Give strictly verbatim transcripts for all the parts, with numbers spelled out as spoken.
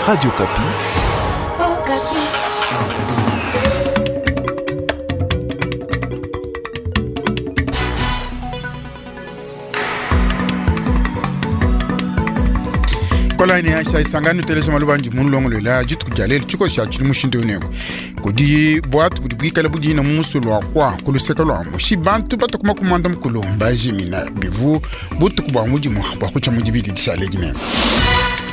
Radio Okapi. Okapi. Kola ni aisha isangani telesa malubanji mulongolola dituku dia lelu tshikosi tshili mushindu uneko kudi bwatu budi buikala budina mu musulu wa kwa ku luseke lua mushi bantu batukuma kumanda mukulu mbajimina bivu butuku bua mudimu bua kutshia mu dibidi dishale dinene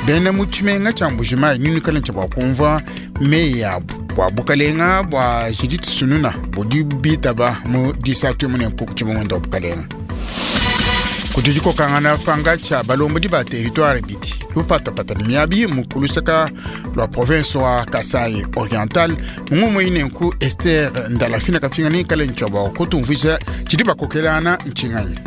bena mu tshimenga tshia Mbujimayi nunukala ntshia bua kumvua meyi abu bua bukalenga bua Judith Sununa budi bitaba mu disatu munene ku tshibongondo wa bukalenga kudi dikokangana panga tshia balombodi ba territoire bidi lupatapata ne miabi mu kulusaka lua province wa Kasai Oriental mungumu inenku Esther Ndalafina kafinga ni kale ntshia bua kutumvuija tshidi bakokelana ntshinganyi.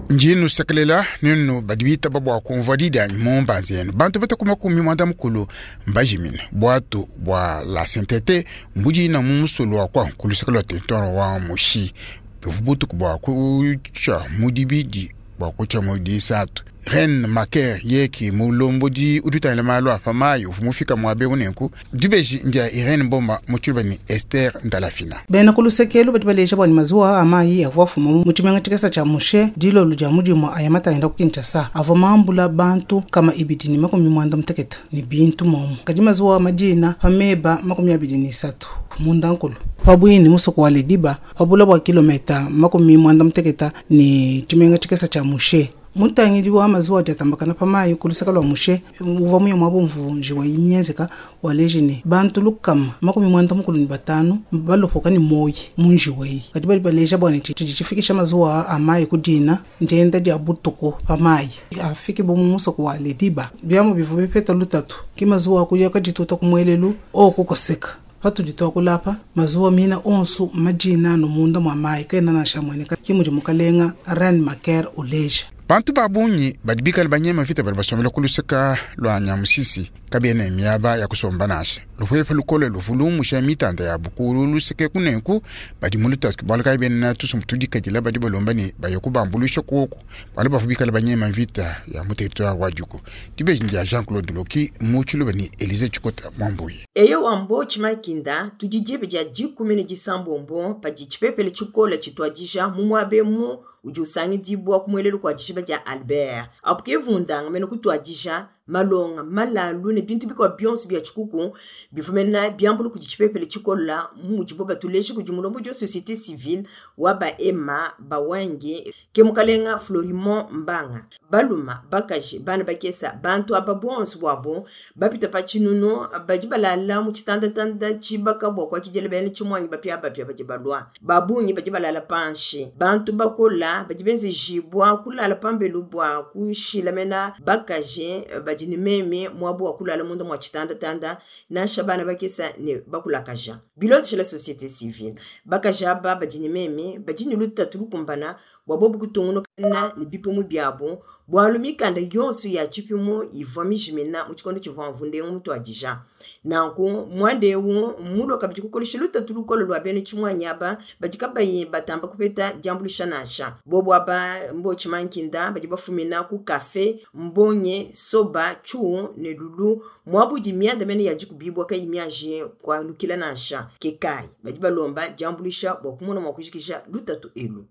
Njinu sekelela ninu badi bitaba bua kumvua didanyi mu mbanza yenu bantu batakuma kumi mwanda mukulu mbajimina bwatu bua la sentete mbudina mu musulu wa kwa kulusaka lua territoire wa Mushi bivu butuku bua kutshia mu dibidi bua kutshia mu disatu Ren Maker yeki mulombodi udutangila malu a pamayi uvua mufika muabe unenku dibeji ndia Irene Mboma mu tshiluba ni Esther Ndalafina. Bena ku lusekelo badi baleja bua ne mazuwa a mayi avua afuma mu tshimenga tshikesa tshia Mushe dilolo dia mudimu aya matangila ku Kinshasa avua mambula bantu kama ibidi ne makumi muanda mutekete ne bintu momu kadi mazuwa a madina pa meba makumi abidi ne isatu mundankulu pabwini musoko wa Lediba pabula bua kilometa makumi muanda mutekete ne tshimenga tshikesa tshia Mushe. Mutangidi wa mazuwa diatambakana pa mayi ku lusaka lua Mushe uvua muya muabo mvunji wa imienzeka wa lejine bantu lukama makumi muanda mukulu ne batanu balopoka ne moyi munji weyi kadi badi baleja bua ne tshidi tshifikisha mazuwa a mayi ku dina ndienda dia butuku pa mayi afike bo mu musoko wa Lediba biamu bivua bipeta lutatu ki mazuwa akuya kadituta ku muelelu okukoseka patudi twakulapa mazuwa mina onso madina no munda mwa mayi kaena nansha mueneka ki mudi mukalenga Ren Maker uleja. Bantu ba bungi badi bikale banyema vita badi basombela ku luseka lua Nyamusisi kabiena miaba ya kusomba nansha lupepe lukole luvulumusha mitanda ya bukulu luseke kunenku badi mu lutatu bualu kayi bena tusumbu tudikadila badi balomba ne baye kubambuluisha kuoku bualu bavua bikale banyema vita ya mu territoire wa Djugu. Dibeji ndia Jean-Claude Loki mu tshiluba ni Elise Tshikota Mwambuyi. Eyo wambo tshimakinda tudi diebe dia dikumi ne disambombo padi tshipepele tshikola tshituadija mu muaba emu udi usangidibua ku muelelu kua dishiba dia Albert apo ke vundanga mene kutuadija malonga malalu ne bintu bikwa bionso bia tshikuku bivumena biambulu kudi tshipepele tshikola mudibo batuleje kudi mulombodi wa société civile wa baema bawange ke mukalenga Florimond Mbanga baluma bakaji bana bakesa bantu aba bonso bwabo bapita pa tshinunu badi balala mu tshitandatanda tshibaka bua kuakidila bena tshimwangi bapia bapia badi balwa babungi badi balala panshi bantu bakola badi benzejibwa kulala pambelu bua kushila mena bakaji badi ni meme mwabu wa kulala munda mwa tshitandatanda nansha bana bakesa ne bakulakaja bilondeshela société civile bakaja aba badi ni meme badi ne lutatu lukumbana bua bobu kutungunukana ne bipimu biabo bualu mikanda yonso ya tshipimu ivua mijimina mu tshikondo tshivua mvunde mutuadija nanku muanda ewu mulua kabidi kukolesha lutatu lukolo lua bena tshimwanyi aba badi kabayi batamba kupeta diambuluisha nansha bobu aba mbo tshimankinda badi bafumina ku kafe mbonye soba tchu ne lulu muabudi mianda mene ya dikubibwa kayi miaje kualukila nansha kekayi badi balomba diambuluisha bua kumona mua kujikija lutatu elu.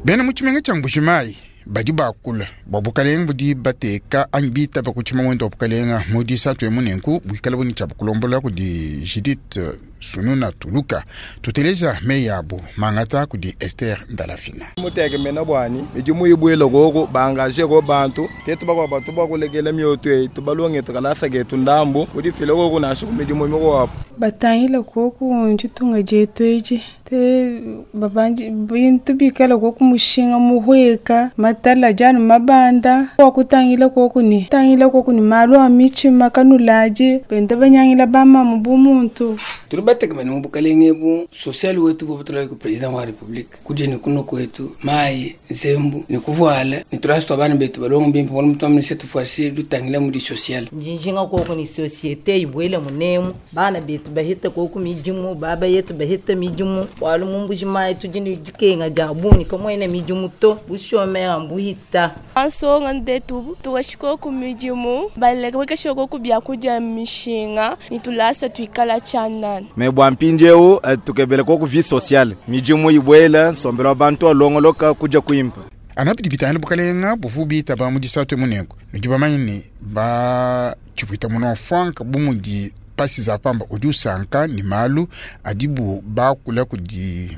Bena mu tshimenga tshia Mbujimayi badi bakula bua bukalenga budi bateka anyi bitaba ku tshimangwendo wa bukalenga mu disatu emu nenku buikala buni tshia bukulombola kudi Judith Sununa Tuluka tuteleja meyi abu mangata kudi Esther Ndalafina. Muteke mena bwani midimu ibwela koko bangaje ko bantu tetu bakwa batu bakulekela mioto eyi tubalonge tukalasa ketu ndambu kudifila koko nasho midimu mikuwapo batangila koku ntshitunga dietu edi te babanji bintu bikala koku mushinga muhweka matala janu mabanda wakutangila koku ni tangila koku ni malu a mitshima kanulaje benda banyangila bamamu bumuntu tuli Tubategemene mu bukalenge bu social wetu bo butula ku president wa republique kuje ni kuno kwetu mai nzembu ni kuvuala ni tulasi bana betu balongo bimpe wala mutu amene cette fois-ci dutangila mu di social. Njinjinga koko ni societe ibwele munemu bana betu bahita koko mijimu baba yetu bahita mijimu walu mumbuji mai tujini dikenga jabuni kamwene mijimu to bushome ambuhita. Ansonga ndetu tuwashiko ku mijimu baleka bakashoko ku byakuja mishinga ni tulasa tuikala chanana. Me bwa mpinjewu tukebele koko vie sociale mijimu ibwela sombela bantu alongoloka kuja kuimpa. Anapidi bitana bukalenga buvu bita ba mudisatu munengo nujibamanye ni ba chipwita muno frank bumudi pasi za pamba udi usanka ni malu adibu bakula kudi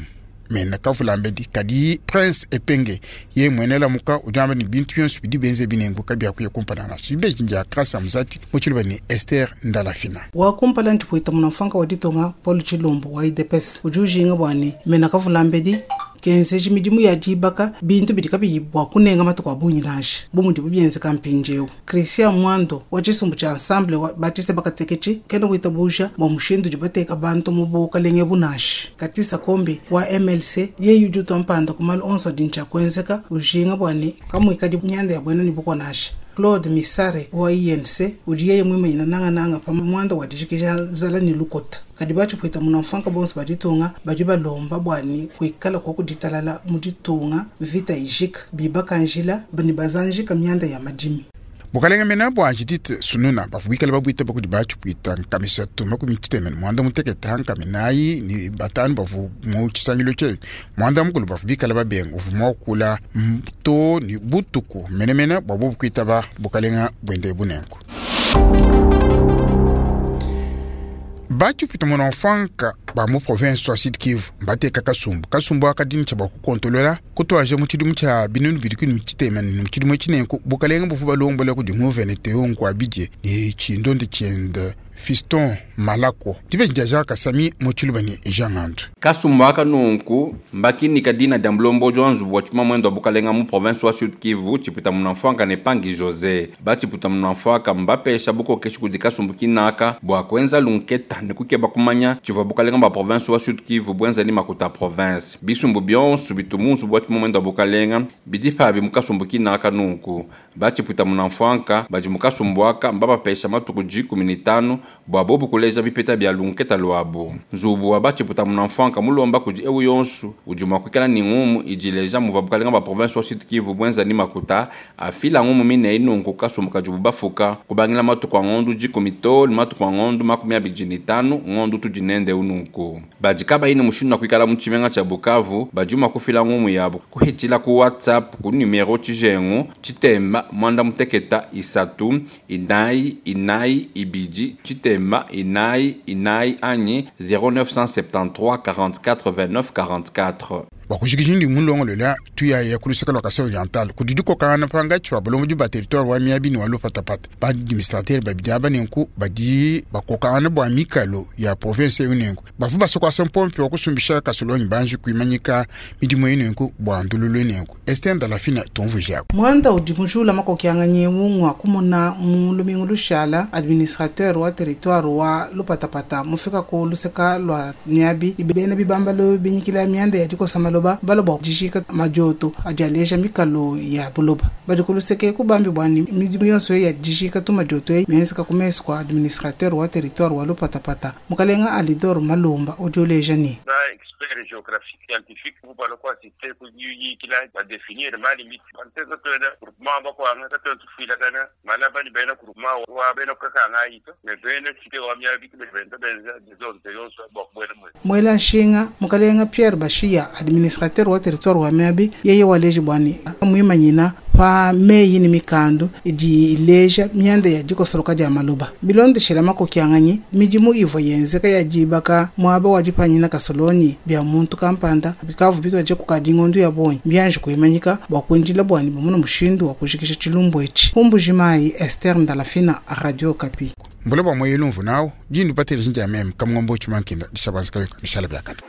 mena kavulambedi kadi Prince Epenge ye mwenela muka ujamba ni bintu byonso bidi benze binengo kabya kuye kumpana na shibe jinja krasa mzati muchiluba ni Esther Ndalafina. Wa kumpala ntipwita munamfanka wa ditonga Paul Chilombo wa I D P S ujujinga bwani mena kavulambedi kenzeji midimu ya dibaka bintu bidi kabiyibwa kunenga matuku abunyi nashi bumundi bubyenze kampinjewu. Christian Mwando wa chisumbu cha ensemble wa batise bakatekechi kena wita buja bwa mushindu jibateka bantu mu bukalenge bunashi. Katisa Kombi wa M L C ye yujuto mpanda kumalu onso dincha kwenzeka ujinga bwani kamwikadi nyanda ya bwena ni bukwa nashi. Claude Misare wa I N C ujiye mwima ina nanga nanga pa mwanda wa dijikija zala ni lukota. Kadi bachi pwita munamfanka bonso baditunga badi balomba bwani kuikala kwa kuditalala muditunga vita ijika bibaka njila bani bazanjika myanda ya madimi. Bukalenga mena bwa Judith Sununa bavubikala babwita bakudi bachi pwita nkamisa tuma kumichitemene mwanda muteketa nkaminayi ni batanu bavu mu chisangilo che mwanda mukulu bavubikala babenga uvuma okula to ni butuku menemene bwabo bukwita ba bukalenga bwende bunengo. Bachi pwita munamfanka ba mu province wa Sud Kivu bateka kasumbu kasumbu akadini cha bakukontolola kutwaje mu chidimu cha binunu bidikini chitemene mu chidimu chinenko bukalenga bufu balombola kudi nguvene teongo abidje ni chindonde chende Fiston Malako dibe njaja kasami mu chilubani Jean Kasumbu aka nunku mbakini kadina dia mulombo jwanzu wa chuma mwendo wa bukalenga mu province wa Sud Kivu chipita munamfwanga ne Pangi Jose bachipita munamfwaka mbapesha bukokeshi kudi kasumbu kinaka bwa kwenza lunketa ne kukeba kumanya chivwa bukalenga ba province wa Sud Kivu bwenza ni makuta province bisumbu byonso bitumusu bwa chuma mwendo wa bukalenga bidifa bi mukasumbu kinaka nunku bachipita munamfwanga baji mukasumbu aka mbapesha matuku jikumi ni tano bwa bobu kuleja bipeta bya lunketa lwabo nzubu wa bachiputa munamfwanka mulomba kuji ewu yonsu ujuma kwikala ni ngumu ijileja muva bukalenga ba province wa Sud Kivu bwenza ni makuta afila ngumu mine inunku kasumbuka jubu bafuka kubangila matuku ngondu jikumi to matuku ngondu makumi abiri ni tano ngondu tujinende ununku bajikaba ine mushindu na kwikala muchimenga cha Bukavu bajuma kufila ngumu yabo kuhitila ku WhatsApp ku numero chijengu chitemba mwanda muteketa isatu inai inai ibiji chitemba inai inai anyi zéro neuf cent soixante-treize quarante-quatre vingt-neuf quarante-quatre. Bakushikishindi mulongolola tuya ya kulusaka lwa Kasai Oriental kudidiko kana panga chwa bolongo ba territoire wa miabini wa lopatapata ba administrateur ba bidiaba nenku badi bakokana bwa mikalo ya province yunenku bavu basokwa sempompe wa kusumbisha kasolonyi banji kuimanyika midimu yenenku bwa ndululu nenku Esther Ndalafina tumvujako. Mwanda udi mujula makokyanganye mungwa kumona mu lumingu lushala administrateur wa territoire wa lopatapata mufika ku luseka lwa miabi ibena bibambalo binyikila mianda ya dikosa maloba baloba jishika majoto ajaleja mikalo ya buloba badi kuluseke kubambi bwani midimu yonso ya jishika tu majoto mienzeka kumeso kwa administrateur wa territoire wa lopatapata mukalenga Alidor Malumba ojoleja ni expert géographique scientifique vous parlez quoi c'était pour qu'il a définir ma limite anteza tena groupement ba kwa ngata tena tufila kana malaba ni bena groupement wa bena kaka ngaito ne bena site wa mya bitu bena bena des autres yonso ba bwena mwela nshinga mukalenga Pierre Bashia administrateur wa territoire wa Miabi yeye waleji bwani muimanyina pa meyi ni mikandu idi ileja myanda ya dikosoloka dia maloba milondeshela makokyanganye midimu ivo yenzeka ya jibaka mwaba wajipanyina kasoloni bya muntu kampanda bikavu bitwaje kukadingondu ya bonyi byanje kuimanyika bwakwinjila bwani bumuna mushindu wa kushikisha chilumbu echi Kumbujimayi Esther Ndalafina, Radio Kapi. Mbole bwa moyelumvu nawo jindu patele jinja mem kamngombo chumankinda dishabanzika nishala byakata.